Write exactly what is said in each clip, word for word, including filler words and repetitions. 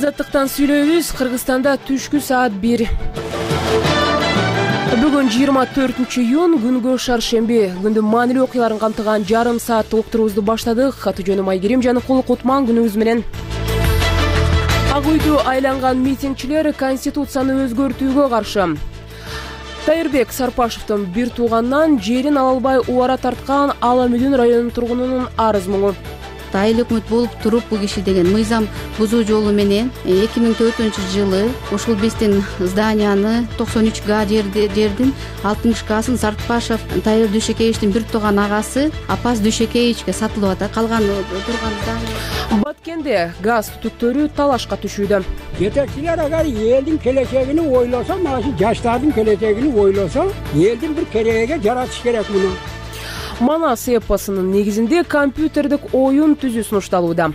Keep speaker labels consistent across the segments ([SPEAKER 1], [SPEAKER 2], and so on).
[SPEAKER 1] Азаттыктан сүйлөйбүз. Кыргызстанда түшкү саат бир. Бүгүн жыйырма төртүнчү июнь, күнгө шаршемби. Күндүн маанилүү окуяларын камтыган жарым сааттык уктуруубузду баштадык. Аты жөнүм Айгерим Жаныкул. Кутман күнүңүз менен. Ак үйдү айланган митингчилер Конституцияны өзгөртүүгө каршы. Тайырбек Сарпашевдин бир тууганынан жерин ала албай убара тарткан Ала Мүдүн районунун тургунунун арыз муңу.
[SPEAKER 2] Айыл өкмөт болуп туруп бул киши деген мыйзам бузуу жолу менен эки миң төртүнчү жылы ушул биздин зданияны токсон үч га жердин алтымыш гасын Сарпашев Тайыр Дүйшекеевичтин бир тууган агасы Апас Дүйшекеевичке сатылып атат. Калган турган здания.
[SPEAKER 1] Баткенде газ түтүктөрү талашка түшүүдө.
[SPEAKER 3] Жетекчилер агар элдин келечегини ойлосо, мына жаштардын келечегини ойлосо, элдин бир кереге жаратыш керек муну.
[SPEAKER 1] Манас эпосунун негизинде компьютердик оюн түзүү сунушталууда.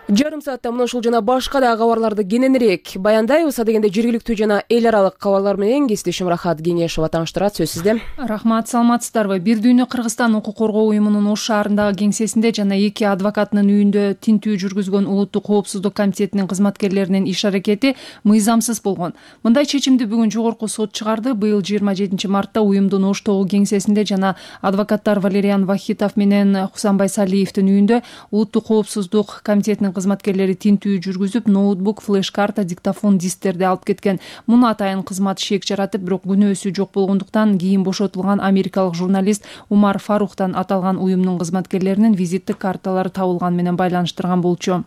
[SPEAKER 1] Жарым саатта мына ушул жана башка да кабарларды кененирээк баяндайбыз. Адегенде жергиликтүү жана эл аралык кабарлар менен кесиптешим Рахат Кеңешова тааныштырат. Сөз сизде.
[SPEAKER 4] Рахмат, саламатсыздарбы? Бир дүйнө Кыргызстан укук коргоо уюмунун Ош шаарындагы кеңсесинде жана эки адвокаттын үйүндө тинтүү жүргүзгөн Улуттук коопсуздук комитетинин кызматкерлеринин иш аракети мыйзамсыз болгон. Мындай чечимди бүгүн жогорку сот чыгарды. Быйыл жыйырма жетинчи мартта уюмдун Оштогу кеңсесинде жана адвокаттар Валериан Вахитов менен Хусанбай Салиевдин үйүндө Улуттук коопсуздук комитетинин кызматкерлери тинтүү жүргүзүп, ноутбук, флеш-карта, диктофон, дисктерди алып кеткен. Муну атайын кызмат шек жаратып, бирок күнөөсү жок болгондуктан кийин бошотулган америкалык журналист Умар Фарухтан аталган уюмдун кызматкерлеринин визиттик карталары табылган менен байланыштырган болчу.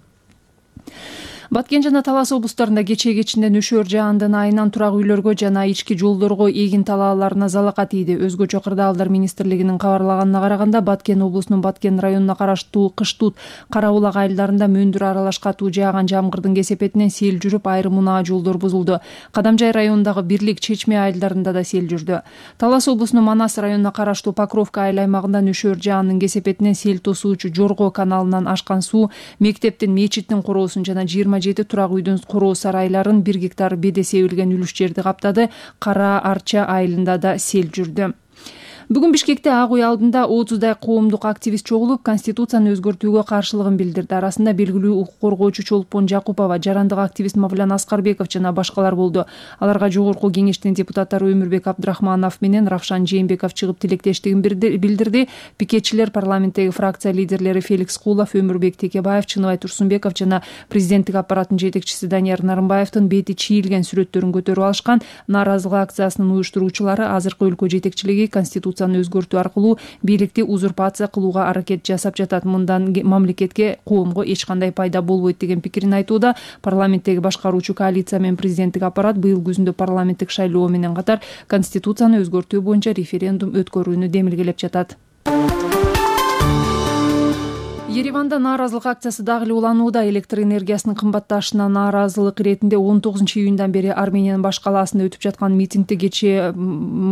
[SPEAKER 4] Баткен жана Талас облустарында кечээ кечинде нөшөр жаандын айынан турак үйлөргө жана ички жолдорго эгин талааларына залака тийди. Өзгөчө кырдаалдар министрлигинин кабарлаганына караганда, Баткен облусунун Баткен районуна караштуу Кыштут, Кара Булак айылдарында мөндүр аралаш катуу жааган жамгырдын кесепетинен сел жүрүп, айрым унаа жолдор бузулду. Кадамжай районундагы Бирлик, Чечме айылдарында да сел жүрдү. Талас облусунун Манас районуна караштуу Покровка айыл аймагында нөшөр жаанын кесепетинен сел тосуучу Жорго каналынан ашкан суу мектептин, мечиттин короосун жана жыйырма жети турак үйдүн короо сарайларын бир гектар беде себилген үлүш жерди каптады. Кара Арча айылында да сел жүрдү. Бүгүн Бишкекте Ак үй алдында отуздай коомдук активист чогулуп, Конституцияны өзгөртүүгө каршылыгын билдирди. Арасында белгилүү укук коргоочу Чолпон Жакупова, жарандык активист Мавлян Аскарбеков жана башкалар болду. Аларга жогорку кеңештин депутаттары Өмүрбек Абдрахманов менен Равшан Жээнбеков чыгып тилектештигин билдирди. Пикетчилер парламенттеги фракция лидерлери Феликс Кулов, Өмүрбек Текебаев, Чыныбай Турсунбеков жана президенттик аппараттын жетекчиси Данияр Нарымбаевдин бети чийилген сүрөттөрүн көтөрүп алышкан. Нааразылык акциясынын уюштуруучулары азыркы өлкө жетекчилиги Конституция өзгөртүү аркылуу бийликти узурпация кылууга аракет жасап жатат. Мындан мамлекетке, коомго эч кандай пайда болбойт деген пикирин айтууда. Парламенттеги башкаруучу коалиция менен президенттик аппарат быйыл күзүндө парламенттик шайлоо менен катар Конституцияны өзгөртүү боюнча референдум өткөрүүнү демилгелеп жатат. Ереванда нааразылык акциясы дагы эле уланууда. Электр энергиясынын кымбатташына нааразылык иретинде он тогузунчу июндан бери Армениянын баш калаасында өтүп жаткан митингде кечээ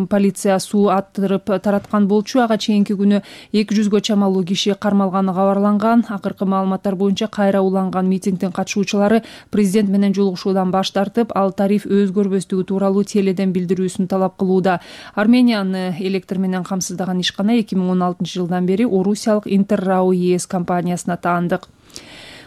[SPEAKER 4] полиция суу аттырып тараткан болчу. Ага чейинки күнү эки жүзгө чамалуу киши кармалганы кабарланган. Акыркы маалыматтар боюнча кайра уланган митингдин катышуучулары президент менен жолугушуудан баш тартып, ал тариф өзгөрбөстүгү тууралуу теледен билдирүүсүн талап кылууда. Арменияны электр менен камсыздаган ишкана эки миң он алтынчы жылдан бери орусиялык Интеррау ЕС компаниясына таандык.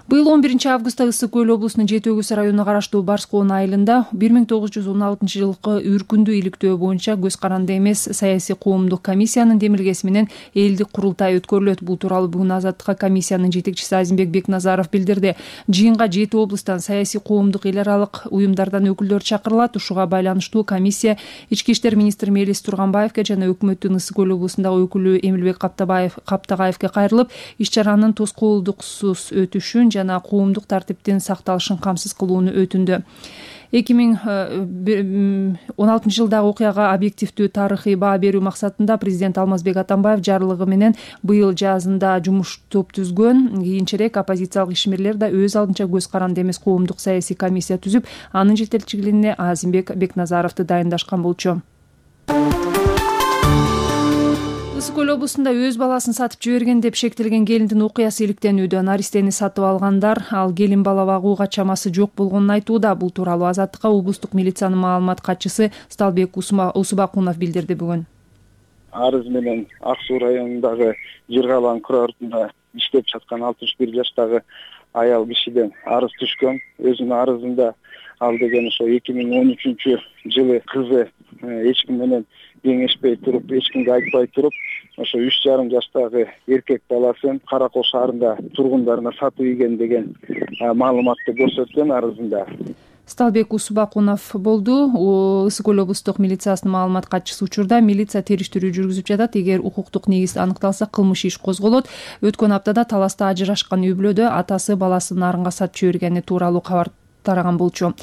[SPEAKER 4] Быйыл он биринчи августта Ысык көл облусунун Жети Өгүз районуна караштуу Барскоон айылында бир миң тогуз жүз он алтынчы жылкы үркүндүү иликтөө боюнча көз каранды эмес саясий коомдук комиссиянын демилгеси менен элдик курултай өткөрүлөт. Бул тууралуу бүгүн Азаттыкка комиссиянын жетекчиси Азимбек Бекназаров билдирди. Жыйынга жети облустан саясий коомдук эл аралык уюмдардан өкүлдөр чакырылат. Ушуга байланыштуу комиссия Ички иштер министри Мелис Турганбаевге жана өкмөттүн Ысык көл облусундагы өкүлү Эмилбек Каптагаевге кайрылып, иш чаранын тоскоолдуксуз өтүшүн жана коомдук тартиптин сакталышын камсыз кылууну өтүндү. эки миң он алтынчы жылдагы окуяга объективдүү тарыхый баа берүү максатында президент Алмазбек Атамбаев жарлыгы менен быйыл жазында жумуш топ түзгөн. Кийинчерээк оппозициялык ишмерлер да өз алдынча көз каранды эмес коомдук саясий комиссия түзүп, анын жетекчилигине Азимбек Бекназаровду дайындашкан болчу. Ысык көл облусунда өз баласын сатып жиберген деп шектелген келиндин окуясы иликтенүүдө. Наристени сатып алгандар ал келин бала багууга чамасы жок болгонун айтууда. Бул тууралуу Азаттыкка облустук милициянын маалымат катчысы Сталбек Усубакунов билдирди бүгүн.
[SPEAKER 5] Арыз менен Ак Суу районундагы Жыргалан курортунда иштеп жаткан алтымыш бир жаштагы аял кишиден арыз түшкөн. Өзүнүн арызында ал деген ошо эки миң он үчүнчү жылы кызы эч ким менен кеңешпей туруп, эч кимге айтпай туруп, ошо үч жарым жаштагы эркек баласын Каракол шаарында тургундарына сатып ийген деген маалыматты көрсөткөн арызында.
[SPEAKER 4] Сталбек Усубакунов болду. Ысык көл облустук милициясынын маалымат катчысы учурда милиция териштирүү жүргүзүп жатат. Эгер укуктук негиз аныкталса, кылмыш иш козголот. Өткөн аптада Таласта ажырашкан үй бүлөдө атасы баласын нарынга сатып жибергени тууралуу кабар тараган болчу.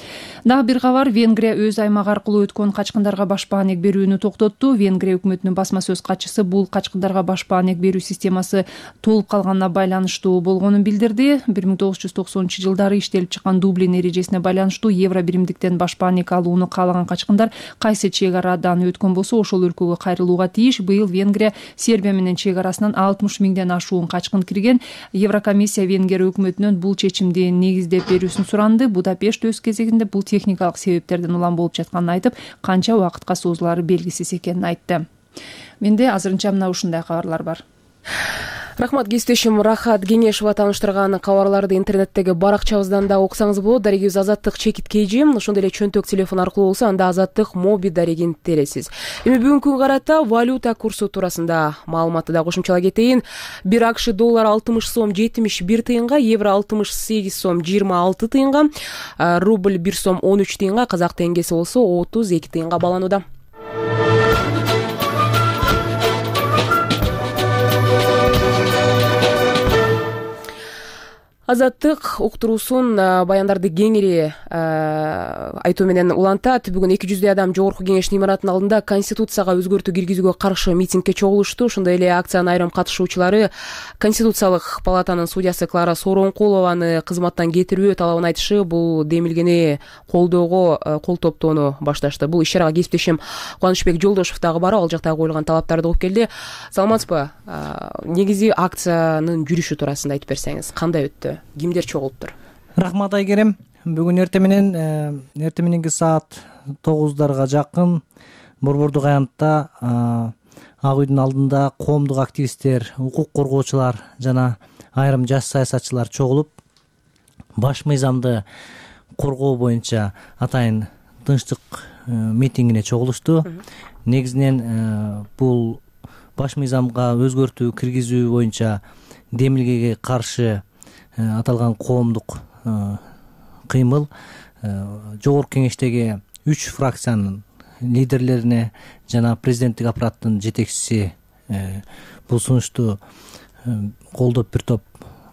[SPEAKER 4] Дагы бир кабар: Венгрия өз аймагы аркылуу өткөн качкындарга баш баанек берүүнү токтотту. Венгрия өкмөтүнүн басма сөз катчысы бул качкындарга баш баанек берүү системасы толуп калганына байланыштуу болгонун билдирди. бир миң тогуз жүз токсонунчу жылдары иштелип чыккан Дублин эрежесине байланыштуу евро биримдиктен баш баанек алууну каалаган качкындар кайсы чек арадан өткөн болсо ошол өлкөгө кайрылууга тийиш. Быйыл Венгрия Сербия менен чек арасынан алтымыш миңден ашуун качкын кирген. Еврокомиссия Венгрия өкмөтүнөн бул чечимди негиздеп берүүсүн суранды. Будапешт өз кезегинде бул техникалык себептерден улам болуп жатканын айтып, канча убакытка созулары белгисиз экенин айтты. Менде азырынча мына ушундай кабарлар бар.
[SPEAKER 1] Рахмат кесиптешим Рахат Кеңешова тааныштырган кабарларды интернеттеги баракчабыздан да окусаңыз болот. Дарегибиз Азаттык чекит кейжи, ошондой эле чөнтөк телефон аркылуу болсо анда Азаттык моби дарегин тересиз. Эми бүгүнкү күнгө карата валюта курсу туурасында маалыматты да кошумчалай кетейин. бир АКШ доллар алтымыш сом жетимиш бир тыйынга, евро алтымыш сегиз сом жыйырма алты тыйынга, рубль бир сом он үч тыйынга, казак теңгеси болсо отуз эки тыйынга бааланууда. Азаттык уктуруусун баяндарды кеңири айтуу менен улантат. Бүгүн эки жүздөй адам Жогорку Кеңештин имаратынын алдында Конституцияга өзгөртүү киргизүүгө каршы митингге чогулушту. Ошондой эле акциянын айрым катышуучулары Конституциялык палатанын судьясы Клара Сооронкулованы кызматтан кетирүү талабын айтышы, бул демилгени колдоого кол топтоону башташты. Бул иш-чарага кесиптешим Кубанычбек Жолдошов дагы барып, ал жактагы коюлган талаптарды угуп келди. Саламатсызбы? Негизи акциянын жүрүшү туурасында айтып берсеңиз, кандай өттү? Кимдер чогулуптур?
[SPEAKER 6] Рахмат Айгерим. Бүгүн эртең менен эртең мененки саат тогуздарга жакын Борбордук аянтта Ак үйдүн алдында коомдук активисттер, укук коргоочулар жана айрым жаш саясатчылар чогулуп, баш мыйзамды коргоо боюнча атайын тынчтык митингине чогулушту. Негизинен бул баш мыйзамга өзгөртүү киргизүү боюнча демилгеге каршы аталган коомдук кыймыл Жогорку Кеңештеги үч фракциянын лидерлерине жана президенттик аппараттын жетекчиси бул сунушту колдоп бир топ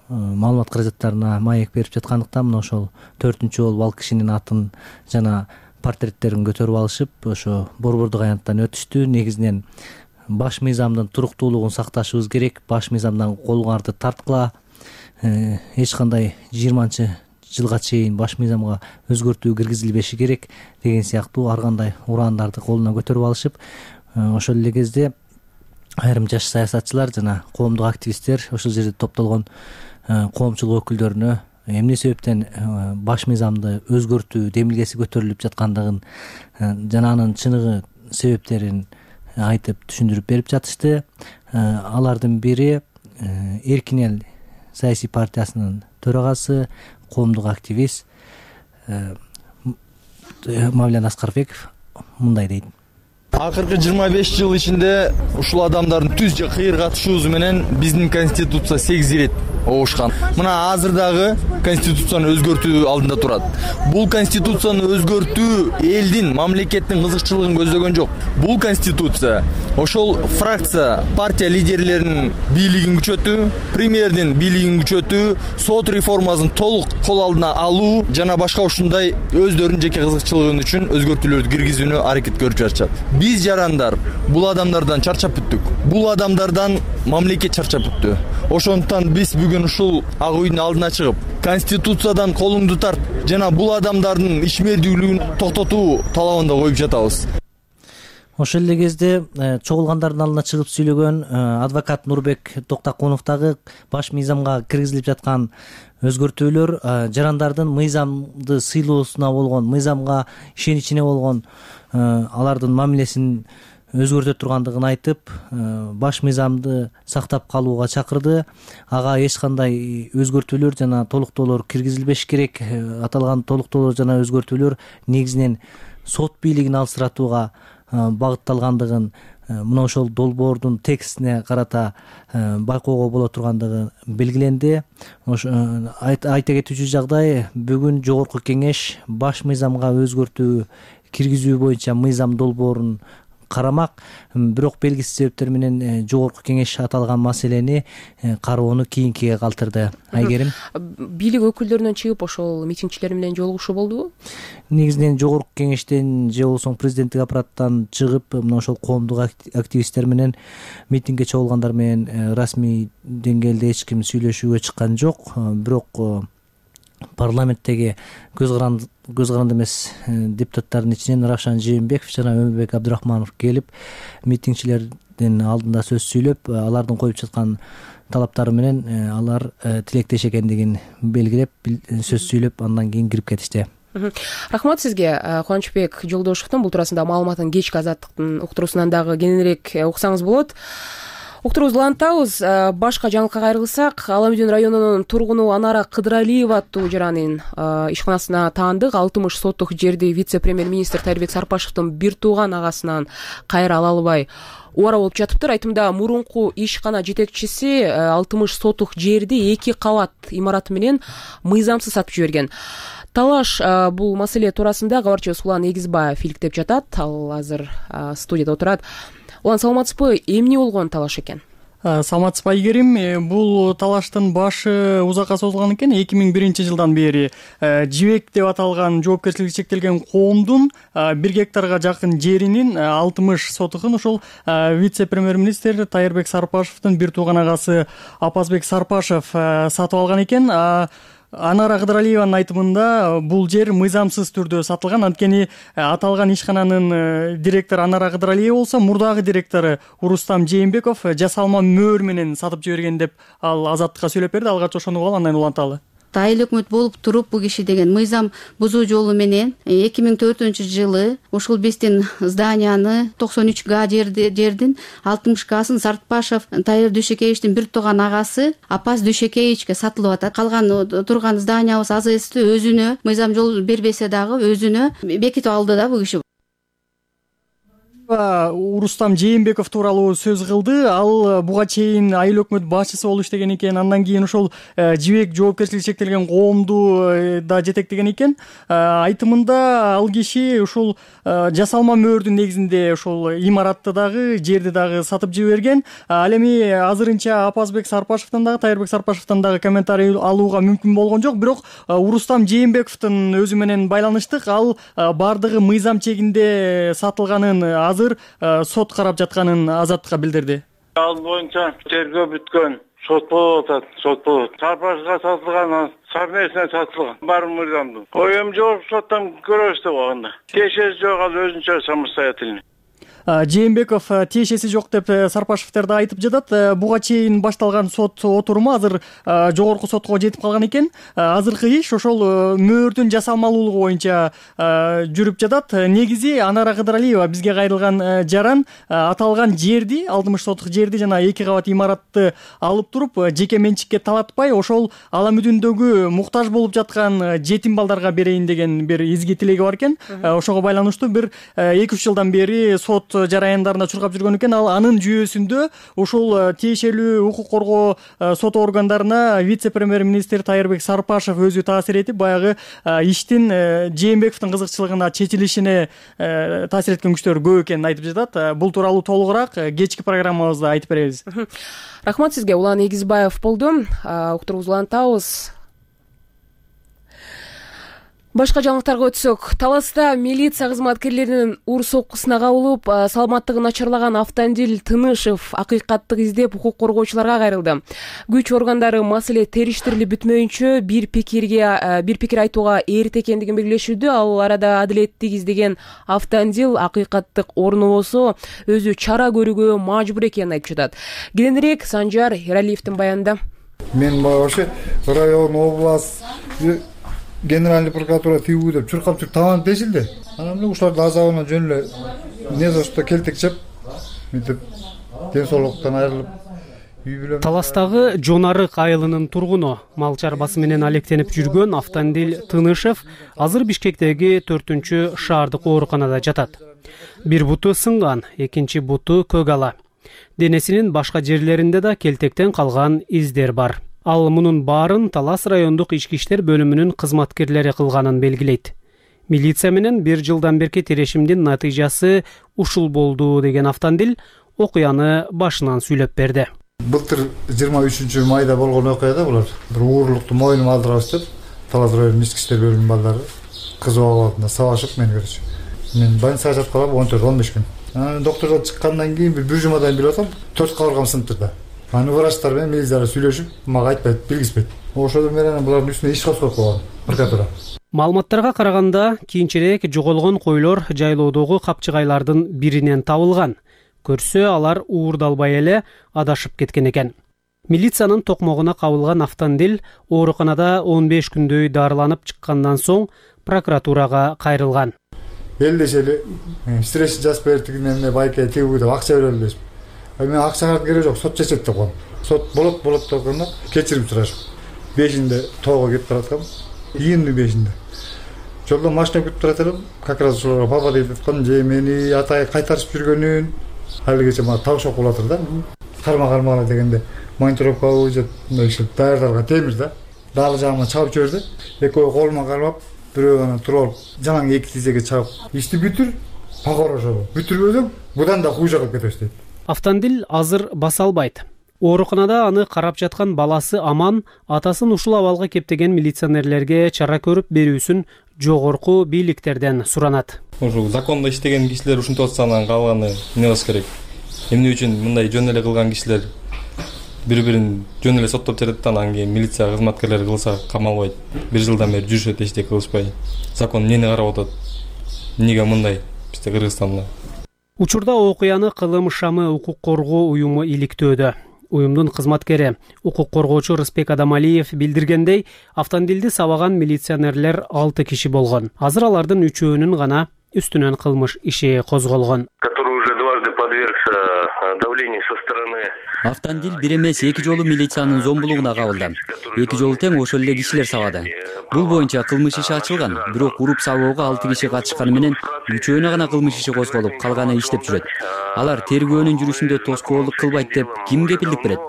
[SPEAKER 6] маалымат каражаттарына маек берип жаткандыктан мына ошол төртүнчү болуп ал кишинин атын жана портреттерин көтөрүп алышып, ошо Борбордук аянттан өтүштү. Негизинен баш мыйзамдын туруктуулугун сакташыбыз керек, баш мыйзамдан колуңарды тарткыла, эч кандай жыйырманчы жылга чейин баш мыйзамга өзгөртүү киргизилбеши керек деген сыяктуу ар кандай урандарды колуна көтөрүп алышып, ошол эле кезде айрым жаш саясатчылар жана коомдук активисттер ошол жерде топтолгон коомчулук өкүлдөрүнө эмне себептен баш мыйзамды өзгөртүү демилгеси көтөрүлүп жаткандыгын жана анын чыныгы себептерин айтып түшүндүрүп берип жатышты. Алардын бири Эркин эл саясий партиясынын төрагасы, коомдук активист Мавлен Аскарбеков мындай дейт.
[SPEAKER 7] Акыркы жыйырма беш жыл ичинде ушул адамдардын түз же кыйыр катышуусу менен биздин конституция сегиз ирет обушкан. Мына азыр дагы конституцияны өзгөртүү алдында турат. Бул конституцияны өзгөртүү элдин, мамлекеттин кызыкчылыгын көздөгөн жок. Бул конституция ошол фракция, партия лидерлеринин бийлигин күчөтүү, премьердин бийлигин күчөтүү, сот реформасын толук кол алдына алуу жана башка ушундай өздөрүнүн жеке кызыкчылыгы үчүн өзгөртүүлөрдү киргизүүнү аракет көрүп жатышат. Биз жарандар бул адамдардан чарчап бүттүк. Бул адамдардан мамлекет чарчап бүттү. Ошондуктан биз бүгүн ушул Ак үйдүн алдына чыгып, конституциядан колуңду тарт жана бул адамдардын ишмердүүлүгүн токтотуу талабын да коюп жатабыз.
[SPEAKER 6] Ошол эле кезде чогулгандардын алдына чыгып сүйлөгөн адвокат Нурбек Токтакунов дагы баш мыйзамга киргизилип жаткан өзгөртүүлөр жарандардын мыйзамды сыйлоосуна болгон, мыйзамга ишеничине болгон алардын мамилесин өзгөртө тургандыгын айтып, баш мыйзамды сактап калууга чакырды. Ага эч кандай өзгөртүүлөр жана толуктоолор киргизилбеш керек. Аталган толуктоолор жана өзгөртүүлөр негизинен сот бийлигин алсыратууга багытталгандыгын, мына ошол долбоордун текстине карата байкоого боло тургандыгы белгиленди. Айта кетүүчү жагдай, бүгүн жогорку кеңеш баш мыйзамга өзгөртүү киргизүү боюнча мыйзам долбоорун карамак. Бирок белгисиз себептер менен жогорку кеңеш аталган маселени кароону кийинкиге калтырды. Айгерим,
[SPEAKER 1] бийлик өкүлдөрүнөн чыгып ошол митингчилер менен жолугушуу болдубу?
[SPEAKER 6] Негизинен жогорку кеңештен же болбосо президенттик аппараттан чыгып, мына ошол коомдук активисттер менен митингге чогулгандар менен расмий деңгээлде эч ким сүйлөшүүгө чыккан жок. Бирок парламенттеги көз каранды көз каранды эмес депутаттардын ичинен Равшан Жээнбеков жана Өмүрбек Абдырахманов келип, митингчилердин алдында сөз сүйлөп, алардын коюп жаткан талаптары менен алар тилектеш экендигин белгилеп, сөз сүйлөп, андан кийин кирип кетишти.
[SPEAKER 1] Рахмат сизге. Кубанычбек Жолдошовдун бул туурасында маалыматын кечки Азаттыктын уктуруусунан дагы кененирээк уксаңыз болот. Уктуруубузду улантабыз. Башка жаңылыкка кайрылсак, Аламүдүн районунун тургуну Анара Кыдыралиева аттуу жаранын ишканасына таандык алтымыш соттук жерди вице-премьер-министр Тайырбек Сарпашевдин бир тууган агасынан кайра ала албай убара болуп жатыптыр. Айтымда мурунку ишкана жетекчиси алтымыш соттук жерди эки кабат имараты менен мыйзамсыз сатып жиберген. Талаш бул маселе туурасында кабарчыбыз Улан Эгизбаев иликтеп жатат. Ал азыр студияда отурат. Улан, саламатсызбы? Эмне болгон талаш экен?
[SPEAKER 8] Саламатсызбы, Айгерим. Бул талаштын башы узакка созулган экен. эки миң биринчи жылдан бери Жибек деп аталган жоопкерчилиги чектелген коомдун бир гектарга жакын жеринин алтымыш сотугун ушул вице-премьер-министр Тайырбек Сарпашевдин бир тууган агасы Апазбек Сарпашев сатып алган экен. Анара Кыдыралиеванын айтымында бул жер мыйзамсыз түрдө сатылган. Анткени аталган ишкананын директору Анара Кыдыралиева болсо, мурдагы директору Урустам Жээнбеков жасалма мөөр менен сатып жиберген деп ал Азаттыкка сүйлөп берди. Алгач ошону угуп, андан уланталы.
[SPEAKER 2] Айыл өкмөт болуп туруп бул киши деген мыйзам бузуу жолу менен эки миң төртүнчү жылы ушул биздин зданияны токсон үч га жердин алтымыш гасын Сартпашев Тайыр Дүйшекеевичтин бир тууган агасы Апаз Дүйшекеевичке сатылып атат. Калган турган зданиябыз АЗСти өзүнө мыйзам жол бербесе дагы өзүнө бекитип алды да бул киши.
[SPEAKER 8] Урустам Жээнбеков тууралуу сөз кылды. Ал буга чейин айыл өкмөт башчысы болуп иштеген экен. Андан кийин ошол Жибек жоопкерчилиги чектелген коомду да жетектеген экен. Айтымында ал киши ушул жасалма мөөрдүн негизинде ушул имаратты дагы, жерди дагы сатып жиберген. Ал эми азырынча Апазбек Сарпашевден дагы, Тайырбек Сарпашевден дагы комментарий алууга мүмкүн болгон жок. Бирок Урустам Жээнбековдун өзү менен байланыштык. Ал бардыгы мыйзам чегинде сатылганын азыр сот карап жатканын Азаттыкка билдирди.
[SPEAKER 9] Ал боюнча тергөө бүткөн, сот болуп атат, сот болот. Сарпашевга сатылган, совместно сатылган. Бар мыйзамдын. Оем жок, соттон көрөбүз деп алганда. Тиешеси жок, ал өзүнчө самостоятельный.
[SPEAKER 8] Жээнбеков тиешеси жок деп Сарпашевдер да айтып жатат. Буга чейин башталган сот отуруму азыр жогорку сотко жетип калган экен. Азыркы иш ошол мөөрдүн жасалмалуулугу боюнча жүрүп жатат. Негизи Анара Кыдыралиева бизге кайрылган жаран аталган жерди, алтымыш сотук жерди жана эки кабат имаратты алып туруп, жеке менчикке талатпай, ошол Аламүдүндөгү муктаж болуп жаткан жетим балдарга берейин деген бир изги тилеги бар экен. Ошого байланыштуу бир эки үч жылдан бери сот жараяндарында чуркап жүргөн экен. Ал анын жүйөсүндө ушул тиешелүү укук коргоо сот органдарына вице-премьер-министр Тайырбек Сарпашев өзү таасир этип, баягы иштин Жээнбековдун кызыкчылыгына чечилишине таасир эткен күчтөр көп экенин айтып жатат. Бул тууралуу толугураак кечки программабызда айтып беребиз.
[SPEAKER 1] Рахмат сизге. Улан Эгизбаев болду. Уктуруубузду улантабыз. Башка жаңылыктарга өтсөк, Таласта милиция кызматкерлеринин ур соккусуна кабылып, саламаттыгы начарлаган Автандил Тынышев акыйкаттык издеп укук коргоочуларга кайрылды. Күч органдары маселе териштирилип бүтмөйүнчө бир пикирге бир пикир айтууга эрте экендигин белгилешүүдө. Ал арада адилеттик издеген Автандил акыйкаттык орнобосо өзү чара көрүүгө мажбур экенин айтып жатат. Кененирээк Санжар Эралиевдин баянында.
[SPEAKER 10] Мен вообще район, область, Генеральный прокуратура тигүү деп чуркап чурк табан тешилди. Анан эле ушуларды азабына жөн эле не за что келтекчеп мынтип ден соолуктан айрылып үй бүлө.
[SPEAKER 11] Таластагы Жон Арык айылынын тургуну, мал чарбасы менен алектенип жүргөн Автандил Тынышев азыр Бишкектеги төртүнчү шаардык ооруканада жатат. Бир буту сынган, экинчи буту көк ала. Денесинин башка жерлеринде да келтектен калган издер бар. Ал мунун баарын Талас райондук ички иштер бөлүмүнүн кызматкерлери кылганын белгилейт. Милиция менен бир жылдан берки тирешимдин натыйжасы ушул болду деген Автандил окуяны башынан сүйлөп берди.
[SPEAKER 10] Былтыр жыйырма үчүнчү майда болгон окуяда булар бир уурулукту мойнума алдырабыз деп Талас районунун ички иштер бөлүмүнүн балдары кыз абалында сабашып мени көрчү. Мен больницага жатканга он төрт он беш күн. Анан доктордон чыккандан кийин бир бир жумадан билип атам, төрт кабыргам сынып турду. Аны врачтар менен милициялар сүйлөшүп, мага айтпайт, билгизбейт. Ошодон бери анан булардын үстүнө иш козгоп койгон прокуратура.
[SPEAKER 11] Маалыматтарга караганда, кийинчерээк жоголгон койлор жайлоодогу капчыгайлардын биринен табылган. Көрсө алар уурдалбай эле адашып кеткен экен. Милициянын токмогуна кабылган Автандил ооруканада он беш күндөй дарыланып чыккандан соң прокуратурага кайрылган.
[SPEAKER 10] Элдешели стресс жазып бердигине эмне байке тигүү деп акча берели дейсиз. Мен акчага кереги жок, сот чечет деп койдум. Сот болот болот дегенде кечирим сурашып. бешинде тоого кетип бараткам. июндун бешинде. Жолдо машина күтүп турат элем. Как раз ошолорго папа деп аткан же мени атай кайтарып жүргөнүн алигече мага табышып калатыр да. Карма кармагала дегенде монтировкабы же мындай даярдарга темир да. Далы жагыма чабып жиберди. Экөө колума кармап, бирөө анан туруп алып, жаңы эки тизеге чабып, ишти бүтүр, пагор ошол. Бүтүрбөсөң, будан да хуже кылып кетебиз дейт.
[SPEAKER 11] Автандил азыр баса албайт. Ооруканада аны карап жаткан баласы Аман атасын ушул абалга кептеген милиционерлерге чара көрүп берүүсүн жогорку бийликтерден суранат.
[SPEAKER 12] Ушул закондо иштеген кишилер ушинтип атса анан калганы эмне болуш керек? Эмне үчүн мындай жөн эле кылган кишилер бири-бирин жөн эле соттоп жатат, анан кийин милиция кызматкерлери кылса камалбайт. Бир жылдан бери жүрүшөт, эчтеке кылышпай. Закон эмнени карап атат? Эмнеге мындай бизде Кыргызстанда?
[SPEAKER 11] Учурда окуяны Кылым Шамы укук коргоо уюму иликтөөдө. Уюмдун кызматкери, укук коргоочу Рыспек Адамалиев билдиргендей, Автандилди сабаган милиционерлер алты киши болгон. Азыр алардын үчөөнүн гана үстүнөн кылмыш иши козголгон.
[SPEAKER 13] Автандил бир эмес эки жолу милициянын зомбулугуна кабылды. Эки жолу тең ошол эле кишилер сабады. Бул боюнча кылмыш иши ачылган, бирок уруп сабоого алты киши катышканы менен үчөөнө гана кылмыш иши козголуп, калганы иштеп жүрөт. Алар тергөөнүн жүрүшүндө тоскоолдук кылбайт деп ким кепилдик берет?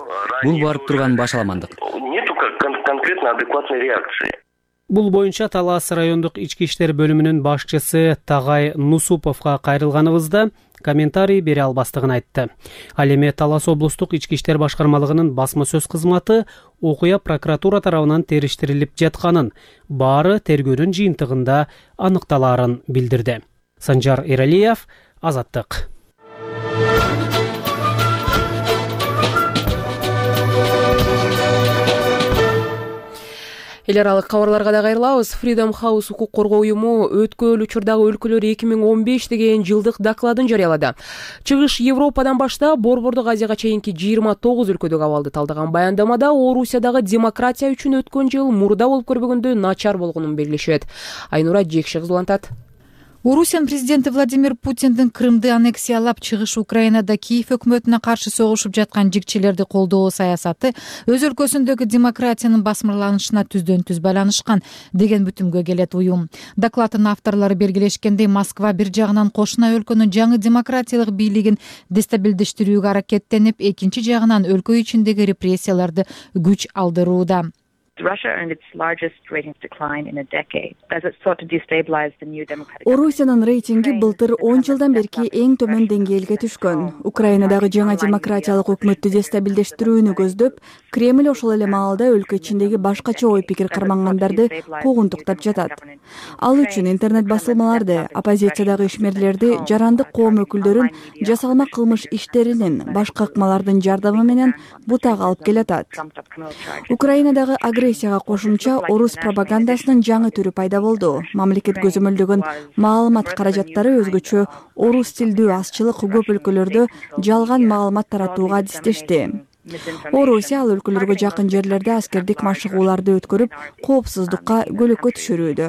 [SPEAKER 13] Бул барып турган башаламандык.
[SPEAKER 12] Нету конкретно адекватной реакции.
[SPEAKER 11] Бул боюнча Талас райондук ички иштер бөлүмүнүн башчысы Тагай Нусуповго кайрылганыбызда комментарий бере албастыгын айтты. Ал эми Талас облустук ички иштер башкармалыгынын басма сөз кызматы окуя прокуратура тарабынан териштирилип жатканын, баары тергөөнүн жыйынтыгында аныкталаарын билдирди. Санжар Эралиев, Азаттык.
[SPEAKER 1] Эл аралык кабарларга да кайрылабыз. Freedom House укук коргоо уюму өткөн учурдагы өлкөлөр эки миң он беш деген жылдык докладын жарыялады. Чыгыш Европадан баштап Борбордук Азияга чейинки жыйырма тогуз өлкөдөгү абалды талдаган баяндамада Орусиядагы демократия үчүн өткөн жыл мурда болуп көрбөгөндө начар болгонун белгилешет. Айнура Жекши кызулантат.
[SPEAKER 14] Орусиянын президенти Владимир Путиндин Крымды аннексиялап чыгыш Украинада Киев өкмөтүнө каршы согушуп жаткан жигчилерди колдоо саясаты өз өлкөсүндөгү демократиянын басмырланышына түздөн түз байланышкан деген бүтүмгө келет уюм. Докладдын авторлору белгилешкендей, Москва бир жагынан кошуна өлкөнүн жаңы демократиялык бийлигин дестабилдештирүүгө аракеттенип, экинчи жагынан өлкө ичиндеги репрессияларды күч алдырууда.
[SPEAKER 15] Орусиянын рейтинги былтыр он жылдан берки эң төмөн деңгээлге түшкөн. Украинадагы жаңа демократиялык өкмөттү дестабилдештирүүнү көздөп, Кремль ошол эле маалда өлкө ичиндеги башкача ой пикир кармангандарды куугунтуктап жатат. Ал үчүн интернет басылмаларды, оппозициядагы ишмерлерди, жарандык коом өкүлдөрүн жасалма кылмыш иштеринин, башка ыкмалардын жардамы менен бутага алып келатат. Украинадагы агрессияга кошумча орус пропагандасынын жаңы түрү пайда болду. Мамлекет көзөмөлдөгөн маалымат каражаттары өзгөчө орус тилдүү азчылык көп өлкөлөрдө жалган маалымат таратууга адистешти. Орусия ал өлкөлөргө жакын жерлерде аскердик машыгууларды өткөрүп, коопсуздукка көлөккө түшүрүүдө.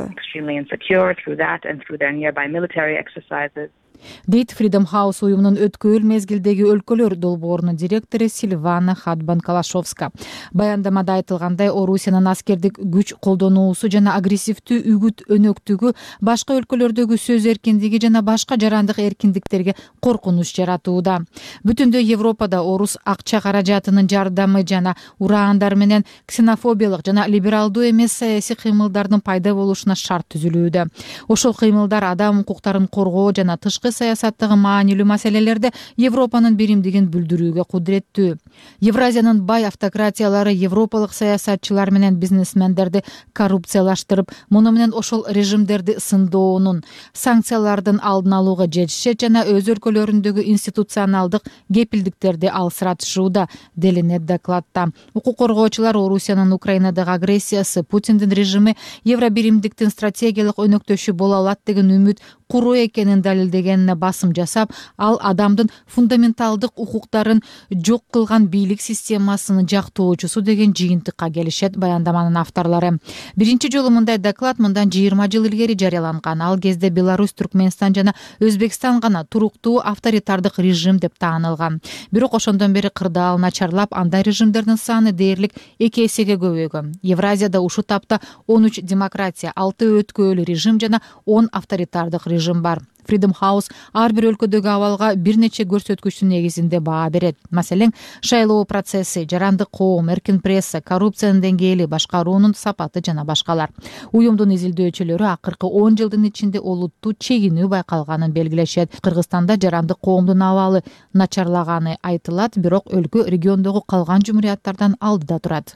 [SPEAKER 14] дейт Freedom House уюмунун өткөрүл мезгилдеги өлкөлөр долбоорунун директору Сильвана Хадбан-Калашовска. Баяндамада айтылгандай, Орусиянын аскердик күч колдонуусу жана агрессивдүү үгүт өнөктүгү башка өлкөлөрдөгү сөз эркиндиги жана башка жарандык эркиндиктерге коркунуч жаратууда. Бүтүндөй Европада орус акча каражатынын жардамы жана ураандар менен ксенофобиялык жана либералдуу эмес саясий кыймылдардын пайда болушуна шарт түзүлүүдө. Ошол кыймылдар адам укуктарын коргоо жана тышкы саясаттагы маанилүү маселелерде Европанын биримдигин билдирүүгө кудуреттүү. Евразиянын бай автократиялары европалык саясатчылар менен бизнесмендерди коррупциялаштырып, муну менен ошол режимдерди сындоонун, санкциялардын алдын алууга жетишет жана өз өлкөлөрүндөгү институционалдык кепилдиктерди алсыратышууда, делинет докладта. Укук коргоочулар Орусиянын Украинадагы агрессиясы, Путиндин режими Евробиримдиктин стратегиялык өнөктөшү боло алат деген үмүт куруу экенин далилдегенине басым жасап, ал адамдын фундаменталдык укуктарын жок кылган бийлик системасынын жактоочусу деген жыйынтыкка келишет баяндаманын авторлору. Биринчи жолу мындай доклад мындан жыйырма жыл илгери жарыяланган. Ал кезде Беларусь, Түркмөнстан жана Өзбекстан гана туруктуу авторитардык режим деп таанылган. Бирок ошондон бери кырдаал начарлап, андай режимдердин саны дээрлик эки эсеге көбөйгөн. Евразияда ушул тапта он үч демократия, алты өткөөлүү режим жана он авторитардык режим бар. Freedom House ар бир өлкөдөгү абалга бир нече көрсөткүчтүн негизинде баа берет. Маселен, шайлоо процесси, жарандык коом, эркин пресса, коррупциянын деңгээли, башкаруунун сапаты жана башкалар. Уюмдун изилдөөчүлөрү акыркы он жылдын ичинде олуттуу чегинүү байкалганын белгилешет. Кыргызстанда жарандык коомдун абалы начарлаганы айтылат, бирок өлкө региондогу калган жумурияттардан алдыда турат.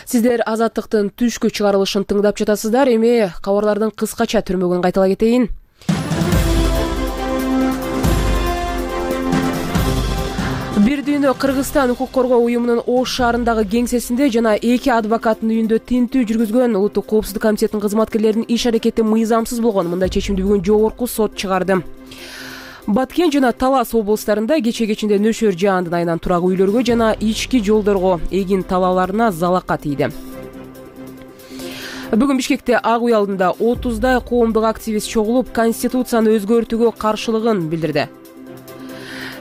[SPEAKER 1] Сиздер Азаттыктын түшкү чыгарылышын тыңдап жатасыздар. Эми кабарлардын кыскача түрмөгүн кайтала кетейин. Бир дүйнө Кыргызстан укук коргоо уюмунун Ош шаарындагы кеңсесинде жана эки адвокаттын үйүндө тинтүү жүргүзгөн Улуттук коопсуздук комитетинин кызматкерлеринин иш аракети мыйзамсыз болгон. Мындай чечимди бүгүн жогорку сот чыгарды. Баткен жана Талас облустарында кече кечинде нөшөр жаандын айынан турак үйлөргө жана ички жолдорго эгин талааларына залака тийди. Бүгүн Бишкекте Ак үй алдында отуздай коомдук активист чогулуп, конституцияны өзгөртүүгө каршылыгын билдирди.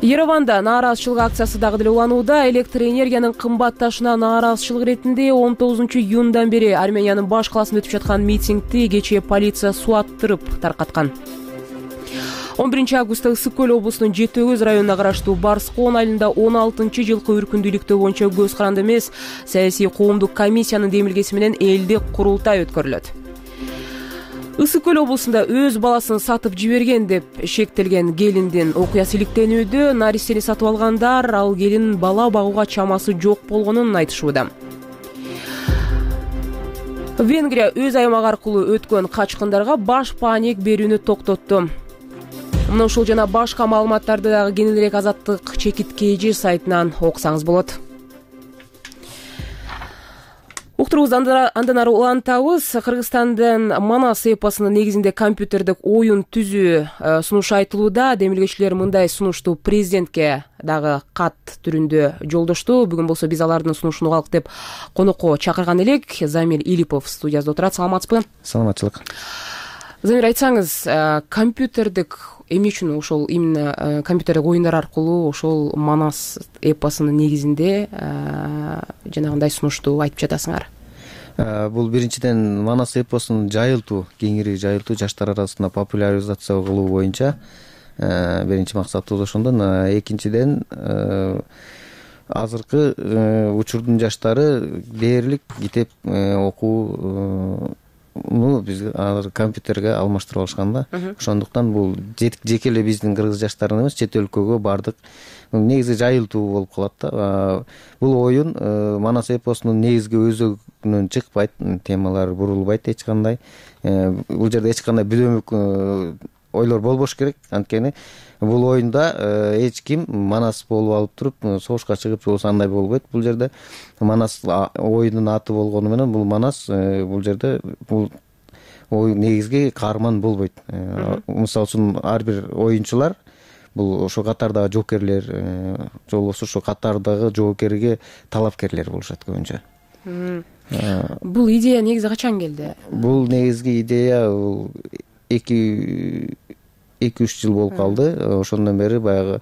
[SPEAKER 1] Ереванда нааразычылык акциясы дагы деле уланууда. Электр энергиянын кымбатташына нааразычылык иретинде он тогузунчу июндан бери Армениянын баш каласында өтүп жаткан митингди кечээ полиция суаттырып таркаткан. он биринчи августта Ысык көл облусунун Жети Өгүз районуна караштуу Барскоон айылында он алтынчы жылкы үркүндүүлүктөө боюнча көз каранды эмес саясий коомдук комиссиянын демилгеси менен элдик курултай өткөрүлөт. Ысык көл облусунда өз баласын сатып жиберген деп шектелген келиндин окуясы иликтенүүдө. Наристени сатып алгандар ал келин бала багууга чамасы жок болгонун айтышууда. Венгрия өз аймагы аркылуу өткөн качкындарга баш паник берүүнү токтотту. Мына ушул жана башка маалыматтарды дагы кененирээк Азаттык чекит kg сайтынан окусаңыз болот. Уктурубузду андан ары улантабыз. Кыргызстандын Манас эпосунун негизинде компьютердик оюн түзүү сунушу айтылууда. Демилгечилер мындай сунушту президентке дагы кат түрүндө жолдошту. Бүгүн болсо биз алардын сунушун угалык деп конокко чакырган элек. Замир Илипов студиябызда отурат. Саламатсызбы?
[SPEAKER 16] Саламатчылык.
[SPEAKER 1] Замир, айтсаңыз, компьютердик эмне үчүн ошол именно компьютердик оюндар аркылуу ошол Манас эпосунун негизинде жанагындай сунушту айтып жатасыңар?
[SPEAKER 16] Бул биринчиден Манас эпосун жайылтуу, кеңири жайылтуу, жаштар арасында популяризация кылуу боюнча биринчи максатыбыз ошондон. Экинчиден азыркы учурдун жаштары дээрлик китеп окуу биз азыр компьютерге алмаштырып алышкан да. Ошондуктан бул жеке эле биздин кыргыз жаштарына эмес, чет өлкөгө бардык негизи жайылтуу болуп калат да. Бул оюн Манас эпосунун негизги өзөгүнөн чыкпайт, темалары бурулбайт эч кандай. Бул жерде эч кандай бүдөмүк ойлор болбош керек. Анткени бул оюнда эч ким Манас болуп алып туруп согушка чыгып болсо андай болбойт. Бул жерде Манас оюнун аты болгону менен бул Манас бул жерде бул оюн негизги каарман болбойт. Мисалы үчүн ар бир оюнчулар бул ошо катардагы жоокерлер, же болбосо ошо катардагы жоокерге талапкерлер болушат көбүнчө.
[SPEAKER 1] Бул идея негизи качан келди?
[SPEAKER 16] Бул негизги идея эки эки үч жыл болуп калды. Ошондон бери баягы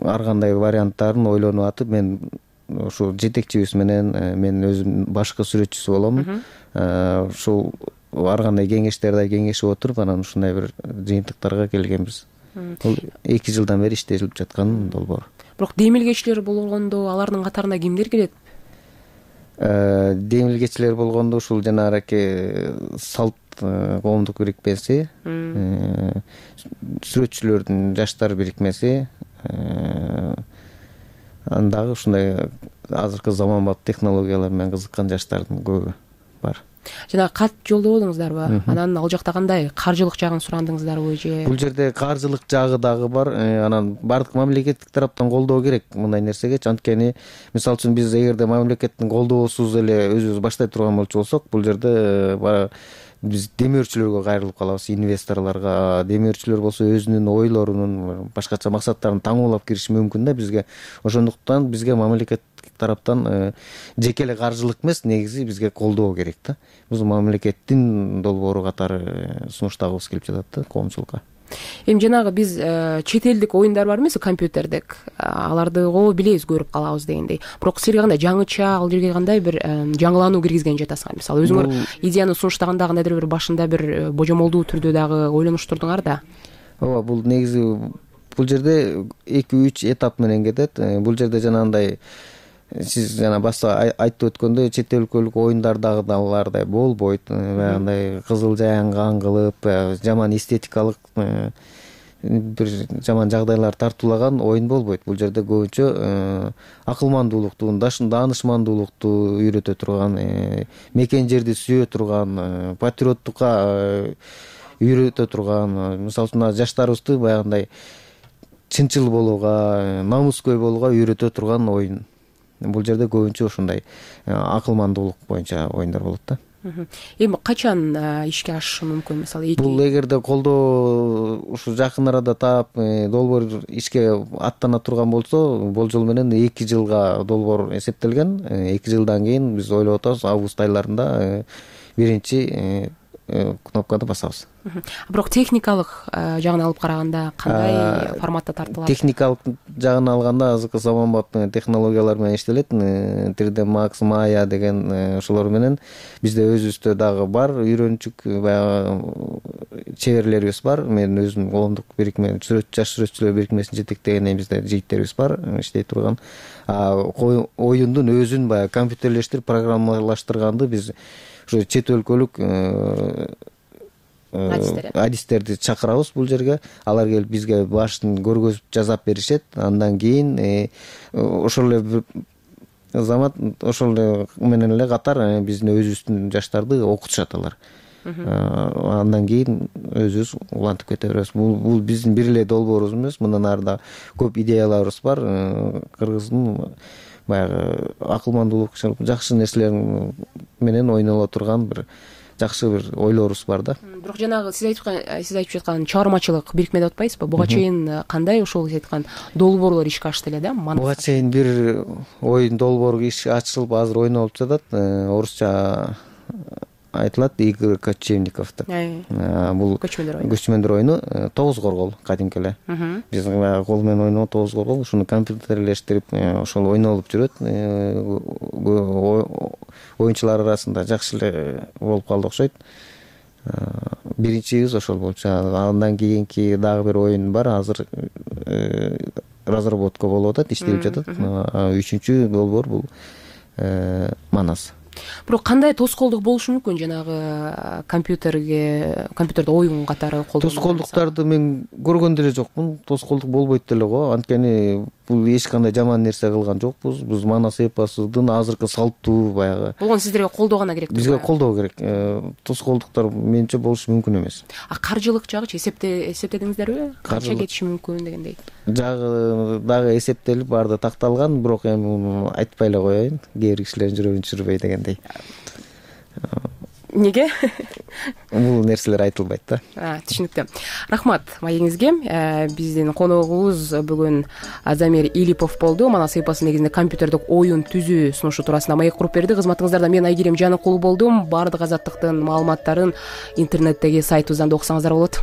[SPEAKER 16] ар кандай варианттарын ойлонуп атып, мен ушул жетекчибиз менен мен өзүм башкы сүрөтчүсү болом. Ушул ар кандай кеңештерди кеңешип отуруп, анан ушундай бир жыйынтыктарга келгенбиз. Бул эки жылдан бери иштелип жаткан долбоор.
[SPEAKER 1] Бирок демилгечилер болгондо алардын катарына кимдер кирет?
[SPEAKER 16] Демилгечилер болгондо ушул жанагы салт коомдук бирикмеси, сүрөтчүлөрдүн жаштар бирикмеси, андагы ушундай азыркы заманбап технологиялар менен кызыккан жаштардын көбү бар.
[SPEAKER 1] Жана кат жолдободуңуздарбы? Анан ал жакта кандай каржылык жагын сурандыңыздарбы же?
[SPEAKER 16] Бул жерде каржылык жагы дагы бар. Анан бардык мамлекеттик тараптан колдоо керек мындай нерсеге. Анткени мисалы үчүн биз эгерде мамлекеттин колдоосуз эле өзүбүз баштай турган болчу болсок, бул жерде биз демөөрчүлөргө кайрылып калабыз, инвесторлорго. Демөөрчүлөр болсо өзүнүн ойлорунун башкача максаттарын таңуулап кириши мүмкүн да бизге. Ошондуктан бизге мамлекеттик тараптан жеке эле каржылык эмес, негизи бизге колдоо керек да. Биз мамлекеттин долбоору катары сунуштагыбыз келип жатат да коомчулукка.
[SPEAKER 1] Эми жанагы биз чет элдик оюндар бар эмеспи, компьютердик. Аларды го билебиз, көрүп калабыз дегендей. Бирок силерге кандай жаңыча, ал жерге кандай бир жаңылануу киргизген жатасыңар? Мисалы өзүңөр идеяны сунуштаганда кандайдыр бир башында бир божомолдуу түрдө дагы ойлонуштурдуңар да.
[SPEAKER 16] Ооба, бул негизи бул жерде эки үч этап менен кетет. Бул жерде жанагындай сиз жана башта айтып өткөндөй чет өлкөлүк оюндардагылардай болбойт. Баягындай кызыл жаянган кылып, жаман эстетикалык бир жаман жагдайлар тартуулаган оюн болбойт. Бул жерде көбүнчө акылмандуулукту, даанышмандуулукту үйрөтө турган, мекен жерди сүйө турган, патриоттукка үйрөтө турган, мисалы үчүн жаштарыбызды баягындай чынчыл болууга, намыскөй болууга үйрөтө турган оюн. Бул жерде көбүнчө ушундай акылмандуулук боюнча оюндар болот да.
[SPEAKER 1] Эми качан ишке ашышы мүмкүн? Мисалы
[SPEAKER 16] бул эгерде колдоо ушу жакын арада таап долбоор ишке аттана турган болсо, болжол менен эки жылга долбоор эсептелген. эки жылдан кийин биз ойлоп атабыз, август айларында биринчи кнопканы басабыз.
[SPEAKER 1] Бирок техникалык жагын алып караганда кандай форматта тартылат?
[SPEAKER 16] Техникалык жагын алганда азыркы заманбап технологиялар менен иштелет. три дэ Max, Maya деген ошолор менен бизде өзүбүздө дагы бар үйрөнчүк баягы чеберлерибиз бар. Мен өзүм коомдук бирикме сүрөт жаш сүрөтчүлөр бирикмесин жетектегенден бизде жигиттерибиз бар, иштей турган. Оюндун өзүн баягы компьютерлештирип программалаштырганды биз ушу чет өлкөлүк адистерди чакырабыз бул жерге. Алар келип бизге башын көргөзүп жасап беришет. Андан кийин ошол эле замат ошол эле менен эле катар биздин өзүбүздүн жаштарды окутушат алар. Андан кийин өзүбүз улантып кете беребиз. Бул биздин бир эле долбоорубуз эмес, мындан арда көп идеяларыбыз бар. Кыргыздын баягы акылмандуулук, жакшы нерселер менен ойноло турган бир жакшы бир ойлорубуз бар да.
[SPEAKER 1] Бирок жанагы сиз айткан сиз айтып жаткан чыгармачылык бирикме деп атпайсызбы? Буга чейин кандай ошол сиз айткан долбоорлор ишке ашты эле да?
[SPEAKER 16] Буга чейин бир оюн долбоор ишке ачылып азыр ойнолуп жатат. Орусча айтылат Игорь Кочевниковду. Бул көчмөндөр оюну тогуз коргол кадимки эле. Биз кол менен ойногон тогуз коргол, ушуну компьютерлештирип ошол ойнолуп жүрөт. Оюнчулар арасында жакшы эле болуп калды окшойт. Биринчибиз ошол болчу. Андан кийинки дагы бир оюн бар, азыр разработка болуп атат, иштелип жатат. Үчүнчү долбоор бул Манас.
[SPEAKER 1] Бирок кандай тоскоолдук болушу мүмкүн жанагы компьютерге, компьютерде оюн катары колдонуу?
[SPEAKER 16] Тоскоолдуктарды мен көргөн деле жокмун. Тоскоолдук болбойт деле го. Анткени бул эч кандай жаман нерсе кылган жокпуз. Биз Манас эпосунун азыркы салттуу баягы.
[SPEAKER 1] Болгон сиздерге колдоо гана керек.
[SPEAKER 16] Бизге колдоо керек. Тоскоолдуктар менимче болушу мүмкүн эмес.
[SPEAKER 1] А каржылык жагычы эсептедиңиздерби? Канча кетиши мүмкүн дегендей?
[SPEAKER 16] Жагы дагы эсептелип, баары такталган, бирок эми айтпай эле коеюн. Кээ бир кишилердин жүрөгүн түшүрбөй дегендей.
[SPEAKER 1] Неге?
[SPEAKER 16] Бул нерселер айтылбайт да.
[SPEAKER 1] Түшүнүктүү. Рахмат маегиңизге. Биздин коногубуз бүгүн Замир Илипов болду. Манас эпосу негизинде компьютердик оюн түзүү сунушу туурасында маек куруп берди. Кызматыңыздарда мен Айгерим Жаныкулу болдум. Баардык азаттыктын маалыматтарын интернеттеги сайтыбыздан да окусаңыздар болот.